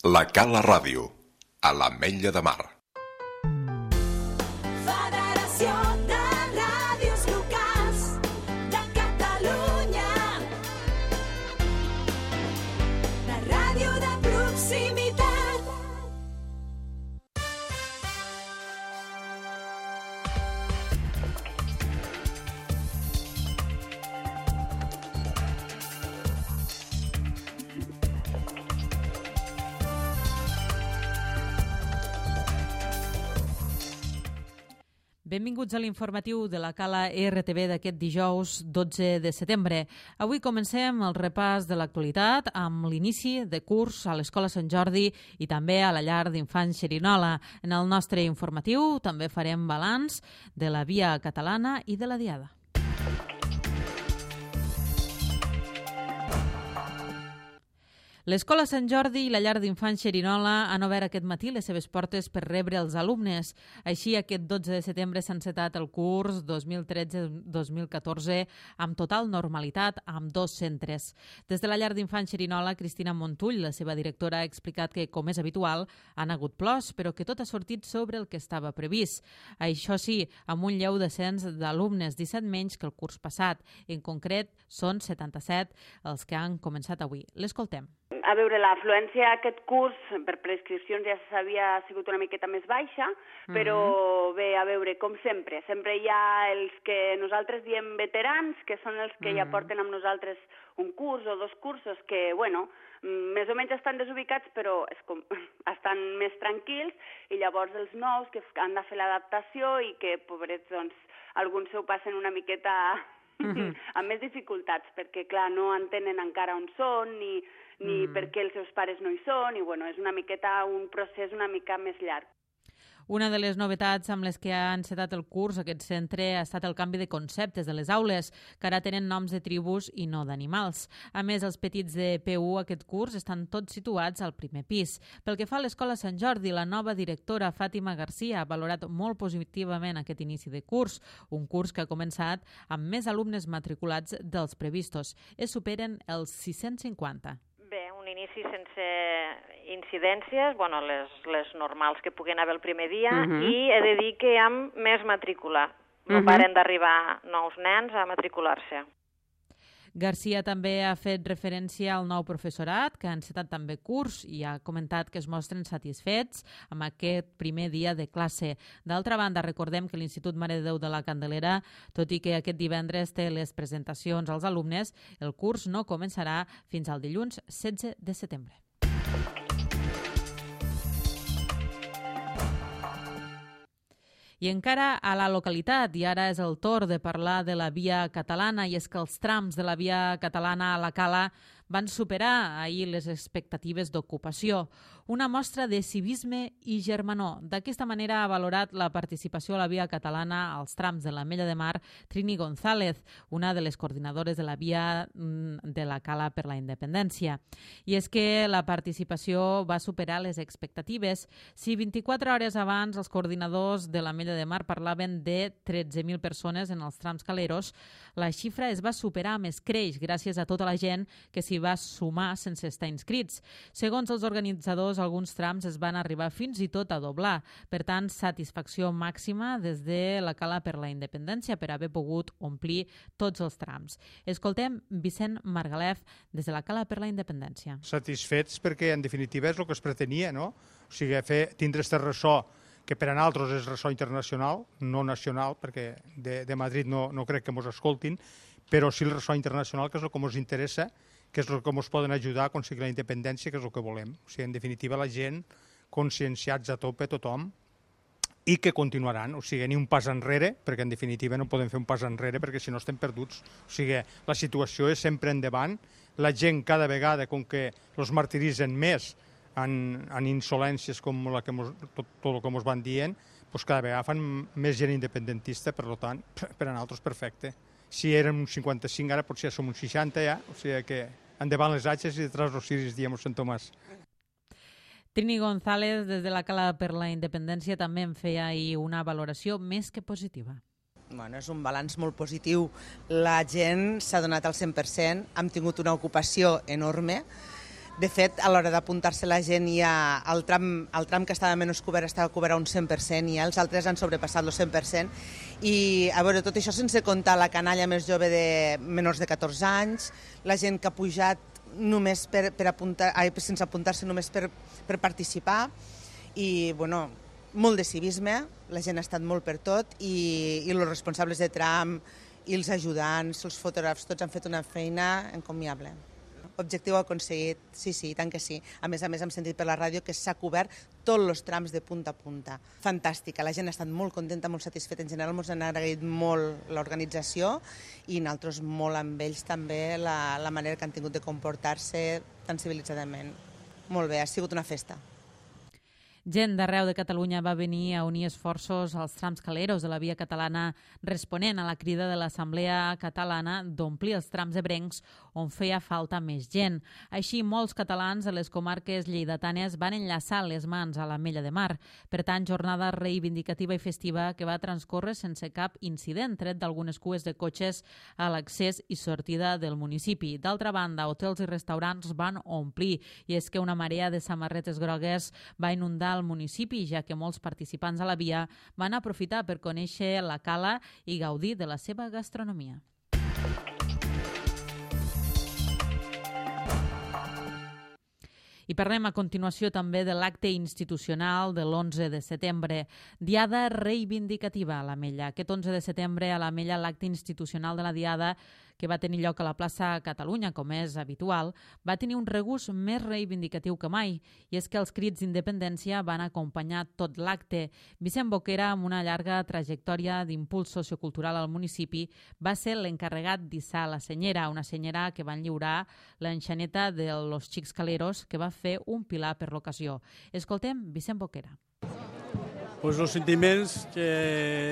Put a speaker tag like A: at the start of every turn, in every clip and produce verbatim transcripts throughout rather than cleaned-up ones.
A: La Cala Ràdio, a l'Ametlla de Mar.
B: Federació de Ràdios Locals de Catalunya. La ràdio de proximitat.
C: Benvinguts a l'informatiu de la Cala R T V d'aquest dijous dotze de setembre. Avui comencem el repàs de l'actualitat amb l'inici de curs a l'Escola Sant Jordi i també a la llar d'infants Xerinola. En el nostre informatiu també farem balanç de la Via Catalana i de la Diada. L'Escola Sant Jordi i la llar d'infants Xerinola han obert aquest matí les seves portes per rebre els alumnes. Així, aquest dotze de setembre s'ha encetat el curs dos mil tretze dos mil catorze amb total normalitat amb dos centres. Des de la llar d'infants Xerinola, Cristina Montull, la seva directora, ha explicat que, com és habitual, han hagut plors, però que tot ha sortit sobre el que estava previst. Això sí, amb un lleu descens d'alumnes, disset menys que el curs passat. En concret, són setanta-set els que han començat avui. L'escoltem.
D: A veure, l'afluència aquest curs per prescripcions ja s'havia sigut una miqueta més baixa, però mm-hmm. bé, a veure, com sempre, sempre hi ha els que nosaltres diem veterans, que són els que mm-hmm. ja porten amb nosaltres un curs o dos cursos que, bueno, més o menys estan desubicats, però és com, estan més tranquils, i llavors els nous que han de fer l'adaptació i que, pobrets, doncs, alguns s'ho passen una miqueta mm-hmm. amb més dificultats, perquè, clar, no entenen encara on són, ni... ni mm. perquè els seus pares no hi són, i bueno, és una miqueta un procés una mica més llarg.
C: Una de les novetats amb les que ha encetat el curs aquest centre ha estat el canvi de conceptes de les aules, que ara tenen noms de tribus i no d'animals. A més, els petits de P u aquest curs estan tots situats al primer pis. Pel que fa a l'Escola Sant Jordi, la nova directora Fàtima Garcia ha valorat molt positivament aquest inici de curs, un curs que ha començat amb més alumnes matriculats dels previstos. Es superen els sis-cents cinquanta.
E: Bé, un inici sense incidències, bueno, les, les normals que puguen haver el primer dia, uh-huh. i he de dir que hi ha més matrícula. No uh-huh. paren d'arribar nous nens a matricular-se.
C: Garcia també ha fet referència al nou professorat, que ha encetat també curs i ha comentat que es mostren satisfets amb aquest primer dia de classe. D'altra banda, recordem que l'Institut Mare de Déu de la Candelera, tot i que aquest divendres té les presentacions als alumnes, el curs no començarà fins al dilluns setze de setembre. I encara a la localitat, i ara és el torn de parlar de la Via Catalana, i és que els trams de la Via Catalana a la Cala van superar ahir les expectatives d'ocupació. Una mostra de civisme i germanor. D'aquesta manera ha valorat la participació a la Via Catalana als trams de l'Ametlla de Mar Trini González, una de les coordinadores de la Via de la Cala per la Independència. I és que la participació va superar les expectatives. Si vint-i-quatre hores abans els coordinadors de l'Ametlla de Mar parlaven de tretze mil persones en els trams caleros, la xifra es va superar més creix gràcies a tota la gent que s'hi va sumar sense estar inscrits. Segons els organitzadors, alguns trams es van arribar fins i tot a doblar. Per tant, satisfacció màxima des de la Cala per la Independència per haver pogut omplir tots els trams. Escoltem Vicent Margalef des de la Cala per la Independència.
F: Satisfets perquè, en definitiva, és el que es pretenia, no? O sigui, fer, tindre este ressò que per a nosaltres és ressò internacional, no nacional, perquè de, de Madrid no, no crec que ens escoltin, però sí el ressò internacional, que és el que ens interessa, que és el que ens poden ajudar a aconseguir la independència, que és el que volem. O sigui, en definitiva, la gent conscienciats a tope, tothom, i que continuaran. O sigui, ni un pas enrere, perquè en definitiva no podem fer un pas enrere, perquè si no estem perduts. O sigui, la situació és sempre endavant. La gent cada vegada, com que els martiritzen més en, en insolències com la que mos, tot, tot el que ens van dient, doncs cada vegada fan més gent independentista, per tant, per a nosaltres perfecte. Si érem un cinquanta-cinc, ara potser som un seixanta ja, o sigui que endavant les atxes i detrás los ciris, diem Sant Tomàs.
C: Trini González, des de la Cala per la Independència, també en feia ahir una valoració més que positiva.
G: Bueno, és un balanç molt positiu. La gent s'ha donat al cent per cent, hem tingut una ocupació enorme. De fet, a l'hora d'apuntar-se la gent, ja el, tram, el tram que estava menys cobert estava cobert a un cent per cent i ja els altres han sobrepassat el cent per cent. I, a veure, tot això sense comptar la canalla més jove de menors de catorze anys, la gent que ha pujat només per, per apuntar, ai, sense apuntar-se, només per, per participar. I, bueno, molt de civisme, la gent ha estat molt per tot i, i els responsables de tram i els ajudants, els fotògrafs, tots han fet una feina encomiable. Objectiu aconseguit, sí, sí, tant que sí. A més a més, hem sentit per la ràdio que s'ha cobert tots els trams de punta a punta. Fantàstica, la gent ha estat molt contenta, molt satisfeta. En general, ens han agraït molt l'organització i nosaltres molt amb ells també la, la manera que han tingut de comportar-se tan civilitzadament. Molt bé, ha sigut una festa.
C: Gent d'arreu de Catalunya va venir a unir esforços als trams caleros de la via catalana responent a la crida de l'Assemblea Catalana d'omplir els trams ebrencs on feia falta més gent. Així, molts catalans de les comarques lleidatanes van enllaçar les mans a l'Ametlla de Mar. Per tant, jornada reivindicativa i festiva que va transcórrer sense cap incident, tret d'algunes cues de cotxes a l'accés i sortida del municipi. D'altra banda, hotels i restaurants van omplir i és que una marea de samarretes grogues va inundar al municipi, ja que molts participants a la via van aprofitar per conèixer la cala i gaudir de la seva gastronomia. I parlem a continuació també de l'acte institucional de l'onze de setembre, Diada Reivindicativa a l'Ametlla. Aquest onze de setembre a l'Ametlla l'acte institucional de la Diada, que va tenir lloc a la plaça Catalunya, com és habitual, va tenir un regust més reivindicatiu que mai, i és que els crits d'independència van acompanyar tot l'acte. Vicent Boquera, amb una llarga trajectòria d'impuls sociocultural al municipi, va ser l'encarregat d'issar la senyera, una senyera que van lliurar l'enxaneta de los Xics Caleros, que va fer un pilar per l'ocasió. Escoltem Vicent Boquera.
H: Pues els sentiments que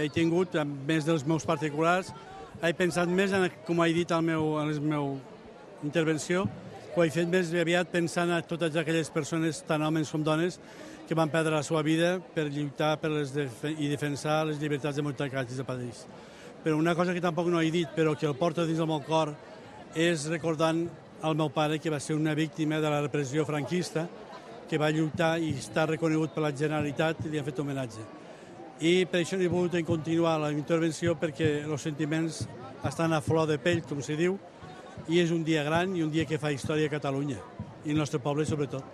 H: he tingut, a més dels meus particulars, he pensat més, en, com he dit al meu, en la meva intervenció, ho he fet més aviat pensant en totes aquelles persones, tant homes com dones, que van perdre la seva vida per lluitar per les def i defensar les llibertats democràtiques del país. Però una cosa que tampoc no he dit, però que el porto dins del meu cor, és recordant el meu pare, que va ser una víctima de la repressió franquista, que va lluitar i està reconegut per la Generalitat i li ha fet homenatge. I per això he volgut continuar la intervenció, perquè els sentiments estan a flor de pell, com se diu, i és un dia gran i un dia que fa història a Catalunya, i el nostre poble sobretot.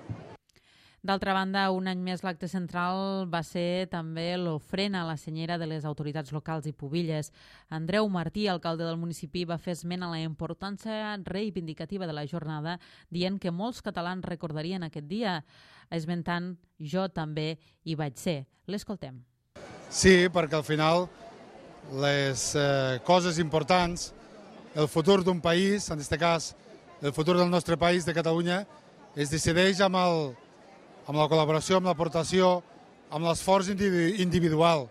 C: D'altra banda, un any més l'acte central va ser també l'ofrena a la senyera de les autoritats locals i pubilles. Andreu Martí, alcalde del municipi, va fer esment a la importància reivindicativa de la jornada, dient que molts catalans recordarien aquest dia, esmentant jo també hi vaig ser. L'escoltem.
F: Sí, perquè al final les eh, coses importants, el futur d'un país, en aquest cas el futur del nostre país, de Catalunya, es decideix amb, el, amb la col·laboració, amb l'aportació, amb l'esforç individual.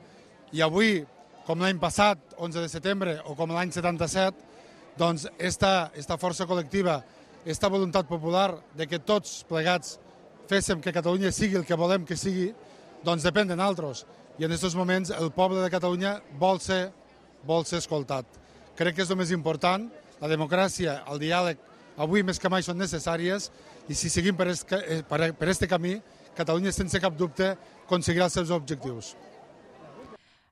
F: I avui, com l'any passat, onze de setembre, o com l'any setanta-set, doncs esta, esta força col·lectiva, esta voluntat popular de que tots plegats féssim que Catalunya sigui el que volem que sigui, doncs depèn de nosaltres. I en aquests moments el poble de Catalunya vol ser, vol ser escoltat. Crec que és el més important. La democràcia, el diàleg, avui més que mai són necessàries, i si seguim per aquest camí, Catalunya, sense cap dubte, aconseguirà els seus objectius.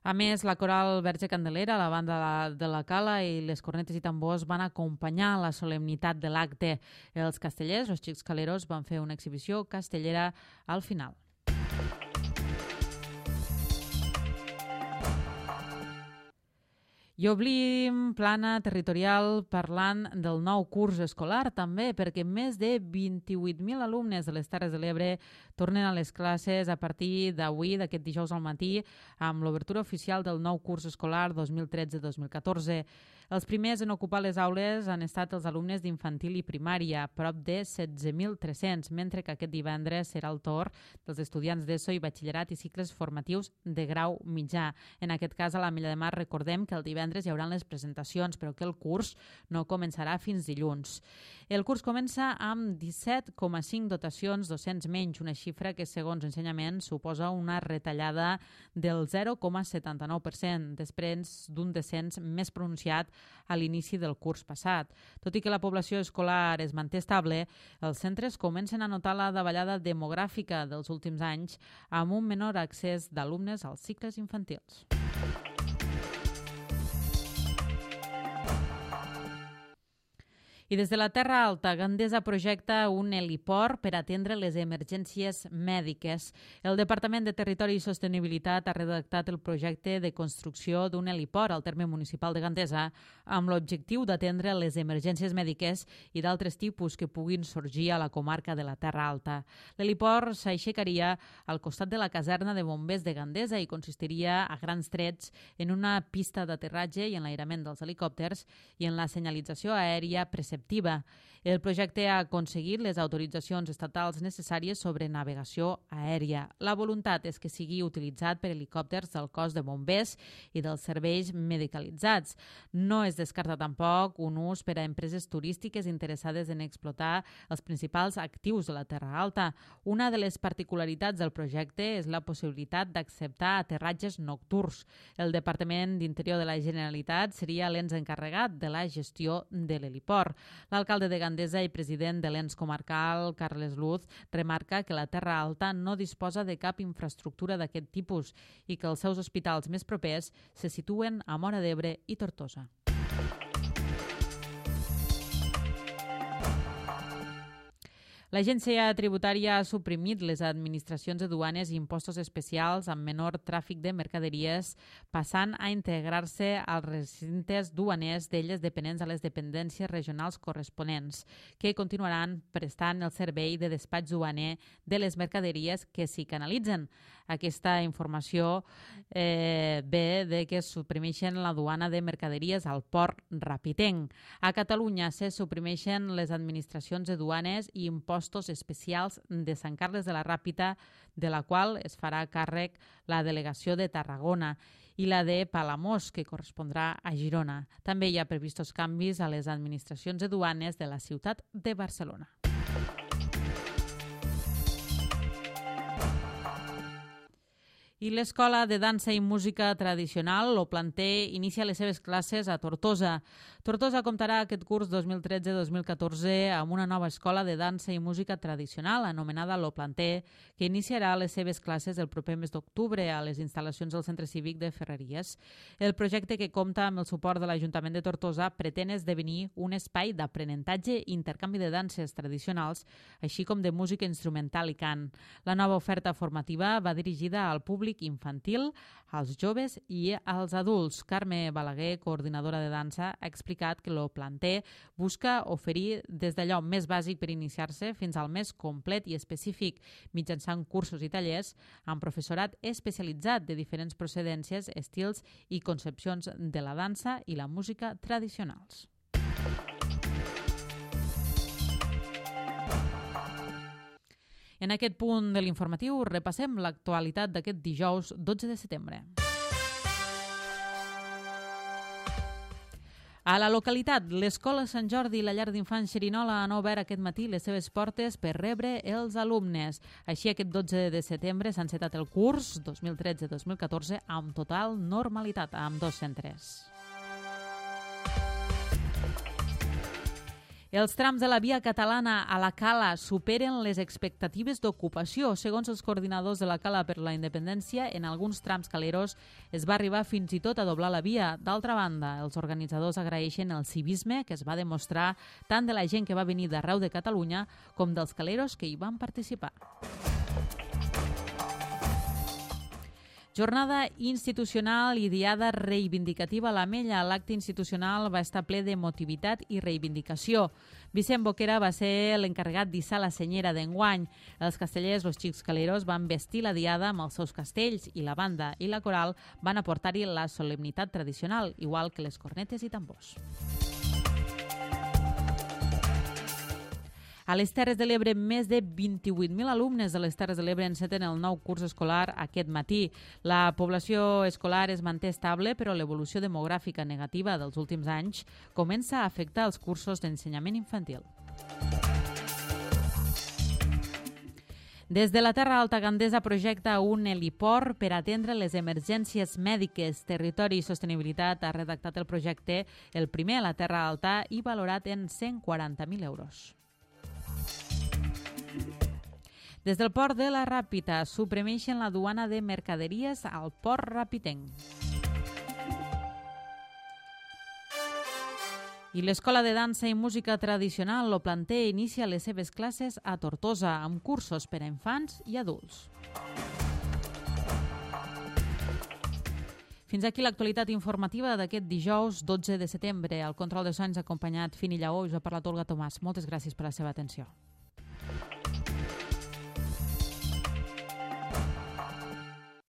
C: A més, la coral Verge Candelera, la banda de la Cala i les cornetes i tambors van acompanyar la solemnitat de l'acte. Els castellers, els Xics Caleros, van fer una exhibició castellera al final. I oblim plana territorial parlant del nou curs escolar també, perquè més de vint-i-vuit mil alumnes de les Terres de l'Ebre tornen a les classes a partir d'avui, d'aquest dijous al matí, amb l'obertura oficial del nou curs escolar dos mil tretze dos mil catorze. Els primers en ocupar les aules han estat els alumnes d'infantil i primària, prop de setze mil tres-cents, mentre que aquest divendres serà el torn dels estudiants d'ESO i batxillerat i cicles formatius de grau mitjà. En aquest cas, a l'Ametlla de Mar, recordem que el divendres hi haurà les presentacions, però que el curs no començarà fins dilluns. El curs comença amb disset coma cinc dotacions docents menys, una xifra que, segons Ensenyament, suposa una retallada del zero coma setanta-nou per cent, després d'un descens més pronunciat a l'inici del curs passat. Tot i que la població escolar es manté estable, els centres comencen a notar la davallada demogràfica dels últims anys amb un menor accés d'alumnes als cicles infantils. I des de la Terra Alta, Gandesa projecta un heliport per atendre les emergències mèdiques. El Departament de Territori i Sostenibilitat ha redactat el projecte de construcció d'un heliport al terme municipal de Gandesa amb l'objectiu d'atendre les emergències mèdiques i d'altres tipus que puguin sorgir a la comarca de la Terra Alta. L'heliport s'aixecaria al costat de la caserna de bombers de Gandesa i consistiria a grans trets en una pista d'aterratge i enlairament dels helicòpters i en la senyalització aèria preceptiva. El projecte ha aconseguit les autoritzacions estatals necessàries sobre navegació aèria. La voluntat és que sigui utilitzat per helicòpters del cos de bombers i dels serveis medicalitzats. No es descarta tampoc un ús per a empreses turístiques interessades en explotar els principals actius de la Terra Alta. Una de les particularitats del projecte és la possibilitat d'acceptar aterratges nocturns. El Departament d'Interior de la Generalitat seria l'ens encarregat de la gestió de l'heliport. L'alcalde de Gandesa i president de l'ens comarcal, Carles Luz, remarca que la Terra Alta no disposa de cap infraestructura d'aquest tipus i que els seus hospitals més propers se situen a Móra d'Ebre i Tortosa. L'agència tributària ha suprimit les administracions de duanes i impostos especials amb menor tràfic de mercaderies, passant a integrar-se als recintes duaners d'elles dependents a les dependències regionals corresponents, que continuaran prestant el servei de despatx duaner de les mercaderies que s'hi canalitzen. Aquesta informació eh, ve de que suprimeixen la duana de mercaderies al port Rapitenc. A Catalunya se suprimeixen les administracions de duanes i impostos especials de Sant Carles de la Ràpita, de la qual es farà càrrec la delegació de Tarragona, i la de Palamós, que correspondrà a Girona. També hi ha previstos canvis a les administracions de duanes de la ciutat de Barcelona. I l'Escola de Dansa i Música Tradicional, Lo Planter, inicia les seves classes a Tortosa. Tortosa comptarà aquest curs dos mil tretze dos mil catorze amb una nova escola de dansa i música tradicional anomenada Lo Planter, que iniciarà les seves classes el proper mes d'octubre a les instal·lacions del Centre Cívic de Ferreries. El projecte, que compta amb el suport de l'Ajuntament de Tortosa, pretén esdevenir un espai d'aprenentatge i intercanvi de danses tradicionals, així com de música instrumental i cant. La nova oferta formativa va dirigida al públic infantil, als joves i als adults. Carme Balaguer, coordinadora de dansa, ha explicat que Lo Planter busca oferir des d'allò més bàsic per iniciar-se fins al més complet i específic, mitjançant cursos i tallers amb professorat especialitzat de diferents procedències, estils i concepcions de la dansa i la música tradicionals. En aquest punt de l'informatiu repassem l'actualitat d'aquest dijous dotze de setembre. A la localitat, l'Escola Sant Jordi i la llar d'infants Xerinola han obert aquest matí les seves portes per rebre els alumnes. Així, aquest dotze de setembre s'ha encetat el curs dos mil tretze dos mil catorze amb total normalitat a ambdós centres. Els trams de la via catalana a la Cala superen les expectatives d'ocupació. Segons els coordinadors de la Cala per la Independència, en alguns trams caleros es va arribar fins i tot a doblar la via. D'altra banda, els organitzadors agraeixen el civisme que es va demostrar tant de la gent que va venir d'arreu de Catalunya com dels caleros que hi van participar. Jornada institucional i diada reivindicativa a l'Ametlla. L'acte institucional va estar ple d'emotivitat i reivindicació. Vicent Boquera va ser l'encarregat d'issar la senyera d'enguany. Els castellers, los xics caleros, van vestir la diada amb els seus castells i la banda i la coral van aportar-hi la solemnitat tradicional, igual que les cornetes i tambors. A les Terres de l'Ebre, més de vint-i-vuit mil alumnes de les Terres de l'Ebre enceten el nou curs escolar aquest matí. La població escolar es manté estable, però l'evolució demogràfica negativa dels últims anys comença a afectar els cursos d'ensenyament infantil. Des de la Terra Alta Gandesa projecta un heliport per atendre les emergències mèdiques. Territori i Sostenibilitat ha redactat el projecte, el primer a la Terra Alta i valorat en cent quaranta mil euros. Des del port de la Ràpita suprimeixen la duana de mercaderies al port rapitenc. I l'Escola de Dansa i Música Tradicional, Lo Planter, inicia les seves classes a Tortosa, amb cursos per a infants i adults. Fins aquí l'actualitat informativa d'aquest dijous dotze de setembre. Al control de sons acompanyat Fini Lleó, us ha parlat Olga Tomàs. Moltes gràcies per la seva atenció.